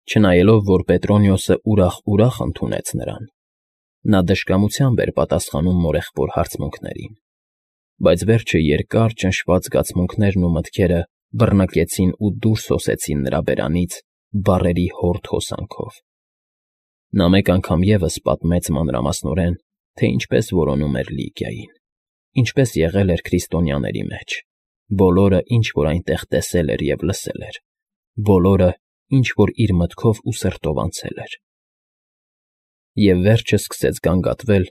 Չնայելով, որ Պետրոնիոսը ուրախ ընդունեց նրան, նա դժկամությամբ էր պատասխանում մորեղբոր հարցմունքներին, բայց վերջը երկար ճնշված զգացմունքներն ու մտքերը բռնկեցին ու դուրս հոսեցին նրա բերանից բառերի հորդ հոսանքով։ Նա մեկ անգամ ևս պատմեց մանրամասնորեն, թե ինչպես որոնում էր Լիգիային, ինչպես եղել էր քրիստոնյաների մեջ, բոլորը, ինչ որ այնտեղ տեսել էր և լսել էր, բոլորը, ինչ որ իր մտքով ու սրտով անցել էր։ Եվ վերջը սկսեց գանգատվել,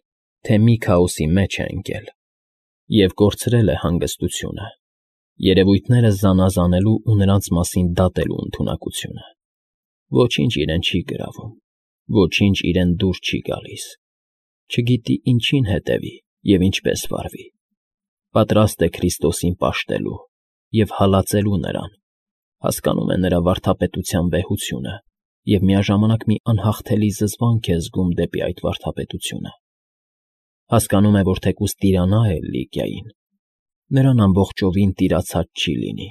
թե մի քաոսի մեջ է ընկել և կորցրել է հանգստությունը, երևույթները զանազանելու ու նրանց մասին դատելու ընդունակությունը։ Ոչինչ իրեն չի գրավում, ոչինչ իրեն դուր չի գալիս, չգիտի ինչին հետևի և ինչպես վարվի, պատրաստ է Քրիստոսին պաշտելու և հալածելու նրան, հասկանում է նրա վարդապետության վեհությունը և միաժամանակ մի անհաղթելի զզվանք է զգում դեպի այդ վարդապետությունը։ Հասկանում է, որ թեկուզ տիրանա էլ Լիգիային, նրան ամբողջովին տիրացած չի լինի,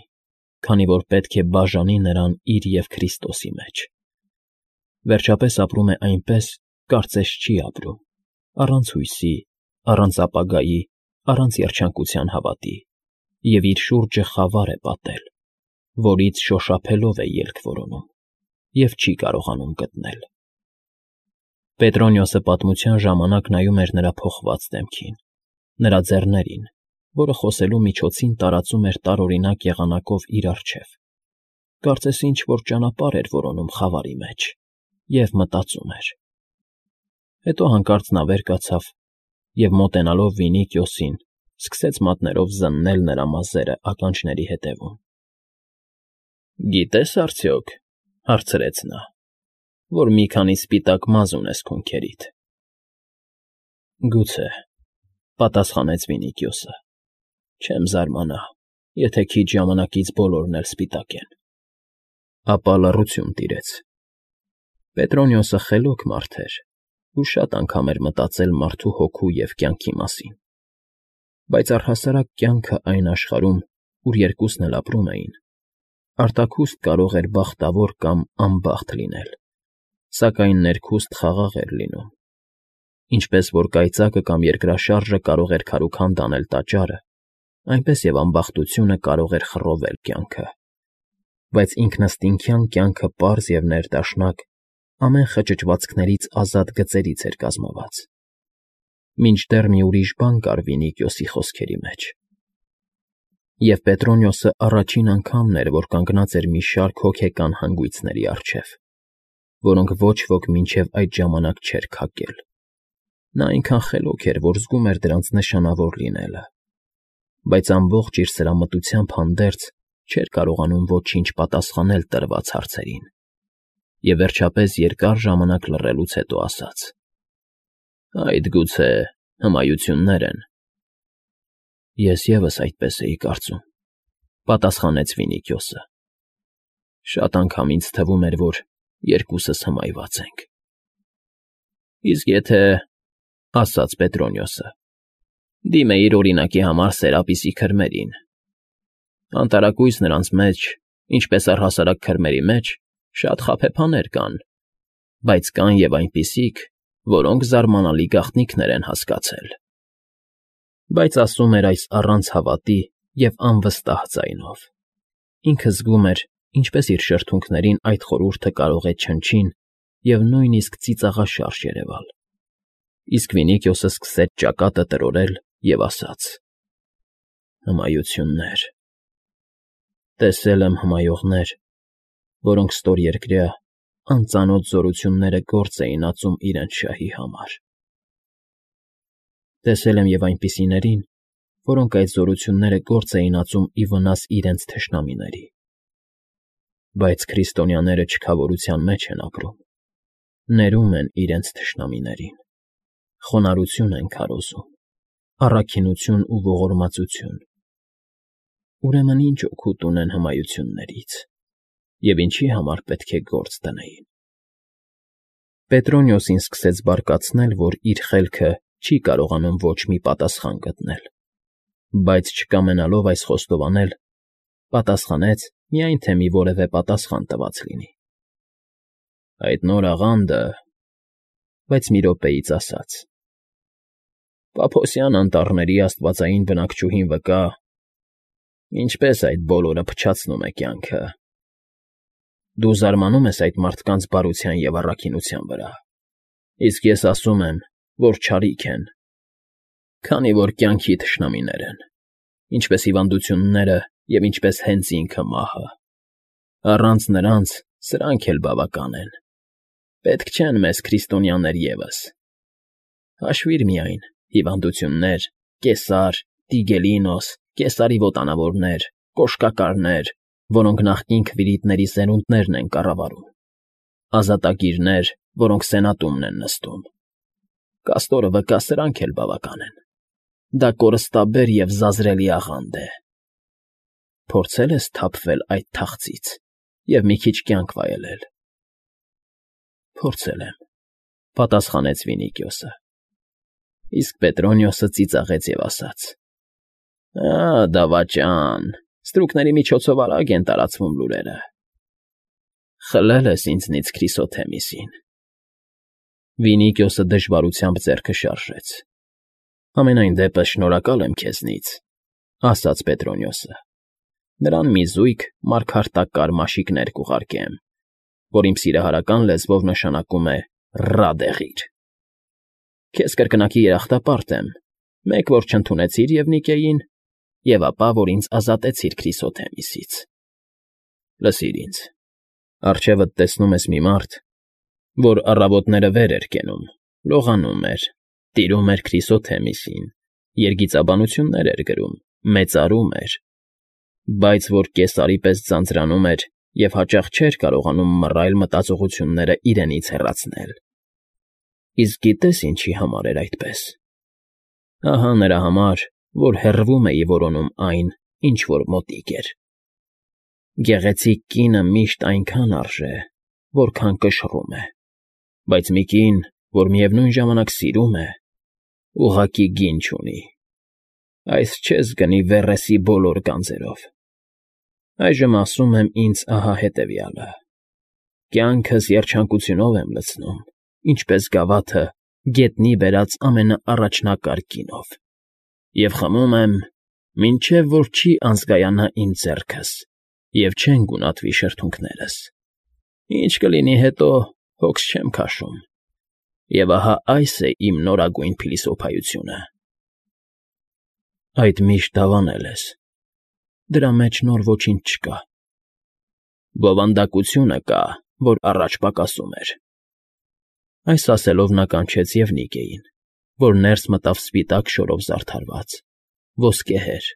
քանի որ պետք է բաժանի նրան իր և Քրիստոսի մեջ։ Վերջապես ապրում է այնպես, կարծես չի ապրում, առանց հույսի, առանց ապագայի, առանց երջանկության հավատի, և իր շուրջը խավար է պատել, որից շոշափելով է ելք որոնում և չի կարողանում գտնել։ Պետրոնիոսը պատմության ժամանակ նայում էր նրա փոխված դեմքին, նրա ձեռներին, որը խոսելու միջոցին տարածում էր տարօրինակ եղանակով իր առջև, կարծես ինչ֊որ ճանապարհ էր որոնում խավարի մեջ և մտածում էր։ Հետո հանկարծ նա վեր կացավ և, մոտենալով Վինիքիոսին, սկսեց մատներով զննել նրա մազերը ականջների ետևում։ «Գիտե՞ս արդյոք,֊ հարցրեց նա,֊ որ մի քանի սպիտակ մազ ունես քունքերիդ»։ «Գուցե,֊ պատասխանեց Վինիքիոսը,֊ չեմ զարմանա, եթե քիչ ժամանակից բոլորն էլ սպիտակ են»։ Ապա լռություն տիրեց։ Պետրոնիոսը խելոք մարդ էր ու շատ անգամ էր մտածել մարդու հոգու և կյանքի մասին, բայց առհասարակ կյանքը այն աշխարհում, ուր երկուսն էլ ապրում էին, արտաքուստ կարող էր բախտավոր կամ անբախտ լինել, սակայն ներքուստ խաղաղ էր լինում։ Ինչպես որ կայծակը կամ երկրաշարժը կարող էր քարուքանդ անել տաճարը, այնպես և անբախտությունը կարող էր խռովել կյանքը։ Բայց ինքնըստինքյան կյանքը պարզ և ներդաշնակ, ամեն խճճվածքներից ազատ գծերից էր կազմված։ Մինչդեռ մի ուրիշ բան կար Վինիքիոսի խոսքերի մեջ։ Եվ Պետրոնիոսը առաջին անգամն էր, որ կանգնած էր մի շարք հոգեկան հանգույցների առջև, որոնք ոչ ոք մինչև այդ ժամանակ չէր քակել։ Նա այնքան խելոք էր, որ զգում էր դրանց նշանավոր լինելը, բայց ամբողջ իր սրամտությամբ հանդերձ չէր կարողանում ոչինչ պատասխանել տրված հարցերին, և վերջապես երկար ժամանակ լռելուց հետո ասաց. «Այդ գուցե հմայություններ են»։ «Ես ևս այդպես էի կարծում», ֊ պատասխանեց Վինիքիոսը։ «Շատ անգամ ինձ թվում էր, որ երկուսս հմայված ենք»։ «Իսկ եթե,֊ ասաց Պետրոնիոսը,֊ դիմեիր օրինակի համար Սերապիսի քրմերին, անտարակույս նրանց մեջ, ինչպես առհասարակ քրմերի մեջ, շատ խաբեբաներ կան, բայց կան և այնպիսիք, որոնք զարմանալի գաղտնիքներ են հասկացել»։ Բայց ասում էր այս առանց հավատի և անվստահ ձայնով։ Ինքը զգում էր, ինչպես իր շրթունքներին այդ խորհուրդը կարող է չնչին և նույնիսկ ծիծաղաշարժ երևալ։ Իսկ Վինիքիոսը սկսեց ճակատը տրորել և ասաց. «Հմայություններ… Տեսել եմ հմայողներ, որոնք ստորերկրյա, անծանոթ զորությունները գործ էին ածում իրենց շահի համար։ Տեսել եմ և այնպիսիներին, որոնք այդ զորությունները գործ էին ածում ի վնաս իրենց թշնամիների։ Բայց քրիստոնյաները չքավորության մեջ են ապրում, ներում են իրենց թշնամիներին, խոնարհություն են քարոզում, առաքինություն ու ողորմածություն։ Ուրեմն ի՞նչ օգուտ ունեն հմայություններից, և ինչի համար պետք է գործ դնեին»։ Պետրոնիոսին սկսեց բարկացնել, որ իր խելքը չի կարողանում ոչ մի պատասխան գտնել, բայց չկամենալով այս խոստովանել, պատասխանեց, միայն թե մի որևէ պատասխան տված լինի։ Այդ նոր աղանդը, բայց մի րոպեից ասաց. Պափոսյան անտառների աստվածային բնակչուհին վկա, ինչպես այդ բոլորը փչացնում է կյանքը։ Դու զարմանում ես այդ մարդկանց բարության և առաքինության վրա, իսկ ես ասում եմ, որ չարիք են, քանի որ կյանքի թշնամիներ են, ինչպես հիվանդությունները և ինչպես հենց ինքը մահը։ Առանց նրանց սրանք էլ բավական են, պետք չեն մեզ քրիստոնյաներ ևս։ Հաշվիր միայն հիվանդություններ, կեսար, տիգելինոս, կեսարի ոտանավորներ, կոշկակարներ, որոնք նախկին քվիրիտների սերունդներն են կառավարում, ազատագիրներ, որոնք սենատումն են նստում։ Կաստորը վկա, սրանք էլ բավական են։ Դա կորստաբեր և զազրելի աղանդ է։ Փորձե՞լ ես թափվել այդ թախծից և մի քիչ կյանք վայելել։ Փորձել եմ, պատասխանեց Վինիքիոսը։ Իսկ Պետրոնիոսը ծիծաղեց և ասաց. Դավաճան, ստրուկների միջոցով արագ են տարածվում լուրերը։ Խլել ես ինձնից Քրիսոթեմիսին։ Վինիքիոսը դժվարությամբ ձեռքը շարժեց։ Համենայն դեպս շնորհակալ եմ քեզնից, ասաց Պետրոնիոսը։ Նրան մի զույգ մարգարտակար մաշիկներ կուղարկեմ, որ իմ սիրահարական լեզվով նշանակում է «Ռադեղիր»։ Քեզ կրկնակի երախտապարտ եմ, մեկ որ չընդունեցիր Եվնիկեին, և ապա որ ինձ ազատեցիր Քրիսոթեմիսից։ Լսիր ինձ, առջևդ տեսնում ես մի մարդ, որ առավոտները վեր էր կենում, լողանում էր, տիրում էր Քրիսոթեմիսին, երգիծաբանություններ էր գրում, մեծարում էր, բայց որ կեսարի պես ձանձրանում էր և հաճախ չէր կարողանում մռայլ մտածողությունները իրենից հեռացնել։ Իսկ գիտե՞ս ինչի համար էր այդպես։ Ահա նրա համար, որ հեռվում էի որոնում այն, ինչ որ մոտիկ էր։ Գեղեցիկ կինը միշտ այնքան արժե, որքան կշռում է, բայց մի կին, որ միևնույն ժամանակ սիրում է, ուղղակի գին չունի։ Այս չես գնի Վեռեսի բոլոր գանձերով։ Այժմ ասում եմ ինձ ահա հետևյալը. կյանքս երջանկությունով եմ լցնում, ինչպես գավաթը գետնի բերած ամենաառաջնակարգ գինով, և խմում եմ, մինչև որ չի անզգայանա իմ ձեռքս և չեն գունատվի շրթունքներս։ Ինչ կլինի հետո, հոգս չեմ քաշում։ Եվ ահա այս է իմ նորագույն փիլիսոփայությունը։ Այդ միշտ դավանել ես։ Դրա մեջ նոր ոչինչ չկա։ Բովանդակությունը կա, որ առաջ պակասում էր։ Այս ասելով նա կանչեց Եվնիկեին, որ ներս մտավ սպիտակ շորով զարդարված, ոսկեհեր,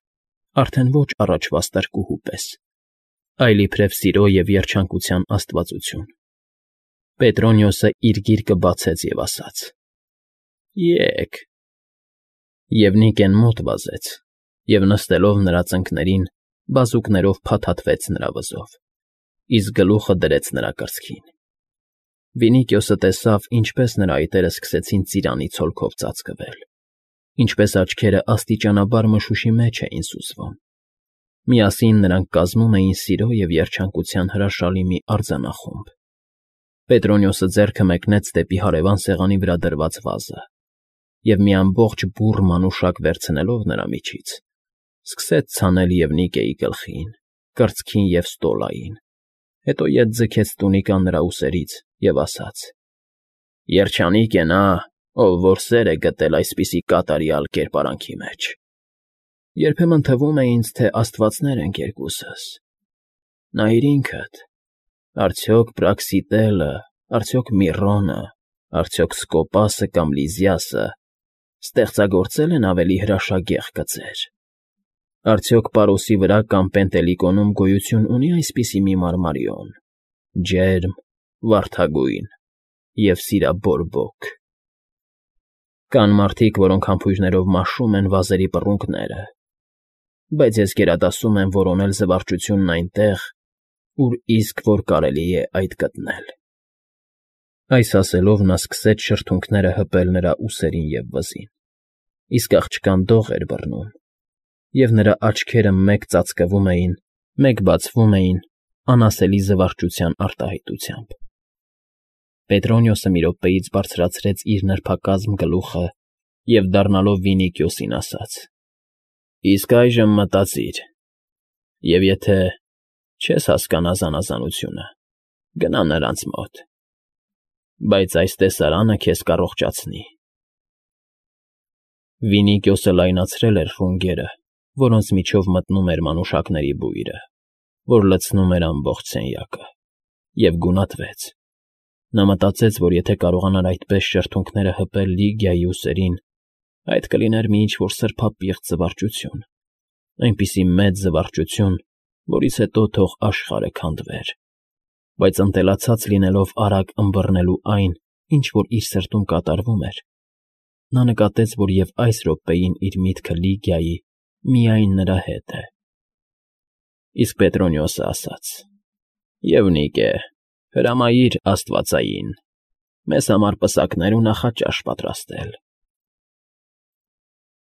արդեն ոչ առաջվա ստրկուհու պես, այլ իբրև սիրո և երջանկության աստվածություն։ Պետրոնիոսը իր գիրկը բացեց և ասաց. Եկ։ Եվնիկեն մոտ վազեց և նստելով նրա ծնկներին, բազուկներով փաթաթվեց նրա վզով, իսկ գլուխը դրեց նրա կրծքին։ Վինիքիոսը տեսավ, ինչպես նրա այտերը սկսեցին ծիրանի ցոլքով ծածկվել, ինչպես աչքերը աստիճանաբար մշուշի մեջ էին սուզվում։ Միասին նրանք կազմում էին սիրո և երջանկության հրաշալի մի արձանախումբ։ Պետրոնիոսը ձեռքը մեկնեց դեպի հարևան սեղանի վրա դրված վազը և մի ամբողջ բուռ մանուշակ վերցնելով նրա միջից, սկսեց ցանել Եվնիկեի գլխին, կրծքին և ստոլային, հետո ետ ձգեց տունիկան նրա ուսերից և ասաց. Երջանիկ է նա, ով որ սեր է գտել այսպիսի կատարյալ կերպարանքի մեջ։ Երբեմն թվում է ինձ, թե աստվածներ ենք երկուսս։ Նայիր ինքդ, արդյոք Պրաքսիտելը, արդյոք Միրոնը, արդյոք Սկոպասը կամ Լիզիասը ստեղծագործել են ավելի հրաշագեղ կծեր։ Արդյոք Պարոսի վրա կամ Պենտելիկոնում գոյություն ունի այսպիսի մի մարմարիոն, ջերմ, վարդագույն և սիրաբորբոք։ Կան մարդիկ, որոնք համբույրներով մաշում են վազերի պռունգները, բայց ես գերադասում եմ որոնել զվարճությունն այնտեղ, ուր իսկ որ կարելի է այդ գտնել։ Այս ասելով նա սկսեց շրթունքները հպել նրա ուսերին և վզին, իսկ աղջկան դող էր բռնում, և նրա աչքերը մեկ ծածկվում էին, մեկ բացվում էին անասելի զվարճության արտահայտությամբ։ Պետրոնիոսը մի րոպեից բարձրացրեց իր նրբակազմ գլուխը և, դառնալով Վինիքիոսին, ասաց. «Իսկ այժմ մտածիր, և եթե չես հասկանա զանազանությունը, գնա նրանց մոտ, բայց այս տեսարանը քեզ կառողջացնի»։ Վինիքիոսը լայնացրել էր ռունգերը, որոնց միջով մտնում էր մանուշակների բույրը, որ լցնում էր ամբողջ սենյակը, և գունատվեց. նա մտածեց, որ եթե կարողանար այդպես շրթունքները հպել Լիգիայի ուսերին, այդ կլիներ մի ինչ֊որ սրբապիղծ զվարճություն, այնպիսի մեծ զվարճություն, որից հետո թող աշխարհը քանդվեր, բայց ընտելացած լինելով արագ ըմբռնելու այն, ինչ որ իր սրտում կատարվում էր, նա նկատեց, որ և այս րոպեին իր միտքը Լիգիայի միայն նրա հետ է։ Իսկ Պետրոնիոսը ասաց. «Եվ Նիկե, հրամայիր աստվածային մեզ համար պսակներ ու նախաճաշ պատրաստել»։